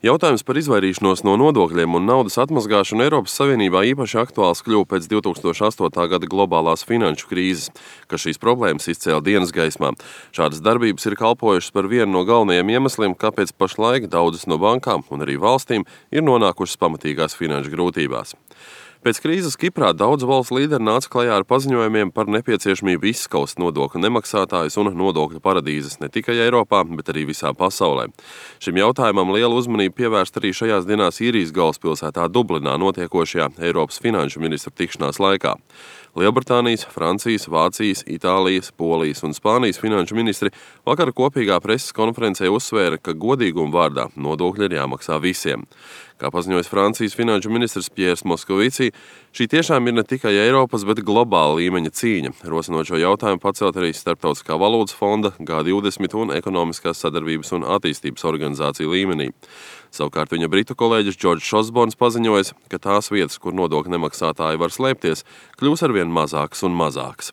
Jautājums par izvairīšanos no nodokļiem un naudas atmazgāšanu Eiropas Savienībā īpaši aktuāls kļuva pēc 2008. gada globālās finanšu krīzes, kas šīs problēmas izcēla dienas gaismā. Šādas darbības ir kalpojušas par vienu no galvenajiem iemesliem, kāpēc pašlaik daudzas no bankām un arī valstīm ir nonākušas pamatīgās finanšu grūtībās. Pēc krīzes Kiprā daudzu valstu līderi nāca klajā ar paziņojumiem par nepieciešamību izskaust nodokļu nemaksātājus un nodokļu paradīzes ne tikai Eiropā, bet arī visā pasaulē. Šim jautājumam lielu uzmanību pievērst arī šajās dienās Īrijas galvaspilsētā Dublinā notiekošajā Eiropas finanšu ministru tikšanās laikā. Lielbritānijas, Francijas, Vācijas, Itālijas, Polijas un Spānijas finanšu ministri vakar kopīgā preses konferencē uzsvēra, ka godīguma vārdā nodokļi ir jāmaksā visiem. Kā paziņojas Francijas finanšu ministrs Piers Moskovici, šī tiešām ir ne tikai Eiropas, bet globāla līmeņa cīņa, rosinot šo jautājumu pacelt arī Starptautiskā valūtas fonda, G20 un Ekonomiskās sadarbības un attīstības organizāciju līmenī. Savukārt viņa britu kolēģis Džordžs Osborns paziņojas, ka tās vietas, kur nodokļu nemaksātāji var slēpties, kļūs arvien mazākas un mazākas.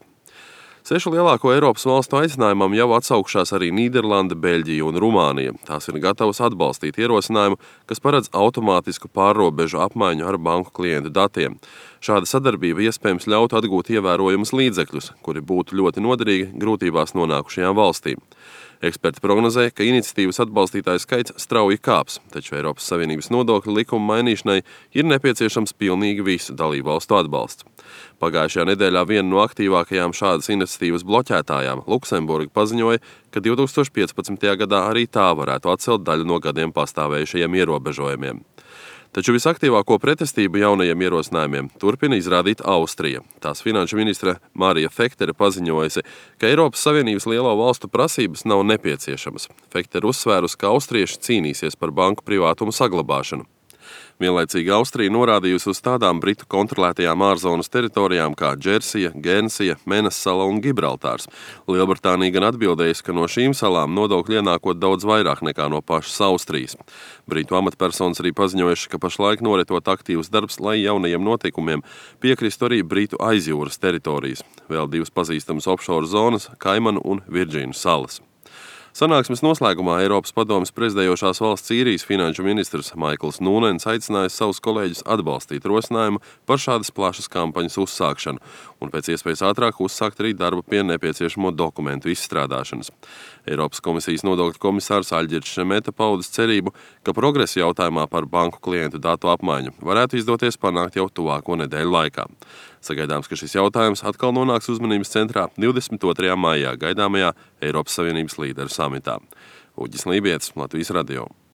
6 lielāko Eiropas valstu aicinājumam jau atsaukšās arī Nīderlande, Beļģija un Rumānija. Tās ir gatavas atbalstīt ierosinājumu, kas paredz automātisku pārrobežu apmaiņu ar banku klientu datiem. Šāda sadarbība iespējams ļautu atgūt ievērojumus līdzekļus, kuri būtu ļoti noderīgi grūtībās nonākušajām valstīm. Eksperti prognozē, ka iniciatīvas atbalstītāju skaits strauji kāps, taču Eiropas Savienības nodokļu likuma mainīšanai ir nepieciešams pilnīgi visu dalību valstu atbalsts. Pagājušajā nedēļā viena no aktīvākajām šādas iniciatīvas bloķētājām, Luksemburga, paziņoja, ka 2015. gadā arī tā varētu atcelt daļu no gadiem pastāvējušajiem ierobežojumiem. Taču visaktīvāko pretestību jaunajiem ierosinājumiem turpina izrādīt Austrija. Tās finanšu ministre Marija Fektere paziņojusi, ka Eiropas Savienības lielo valstu prasības nav nepieciešamas. Fektere uzsvērus, ka austrieši cīnīsies par banku privātumu saglabāšanu. Vienlaicīgi Austrija norādījusi uz tādām Britu kontrolētajām ārzonas teritorijām kā Džersija, Gērnsija, Menas sala un Gibraltārs. Lielbritānija gan atbildējusi, ka no šīm salām nodokļi ienākot daudz vairāk nekā no pašas Austrijas. Britu amatpersonas arī paziņojuši, ka pašlaik noritot aktīvs darbs, lai jaunajiem notikumiem piekristu arī Britu aizjūras teritorijas. Vēl 2 pazīstamas offshore zonas – Kaimanu un Virdžīnu salas. Sanāksmes noslēgumā Eiropas padomes prezidējošās valsts Īrijas finanšu ministrs Maikls Nūnens aicinājis savus kolēģus atbalstīt rosinājumu par šādas plašas kampaņas uzsākšanu un pēc iespējas ātrāk uzsākt arī darbu pie nepieciešamo dokumentu izstrādāšanas. Eiropas komisijas nodokļu komisārs Aļģirds Šemeta paudis cerību, ka progresa jautājumā par banku klientu datu apmaiņu varētu izdoties panākt jau tuvāko nedēļu laikā. Sagaidāms, ka šis jautājums atkal nonāks uzmanības centrā 22. maijā gaidāmajā Eiropas Savienības līderu samitā. Uģis Lībietis, Latvijas radio.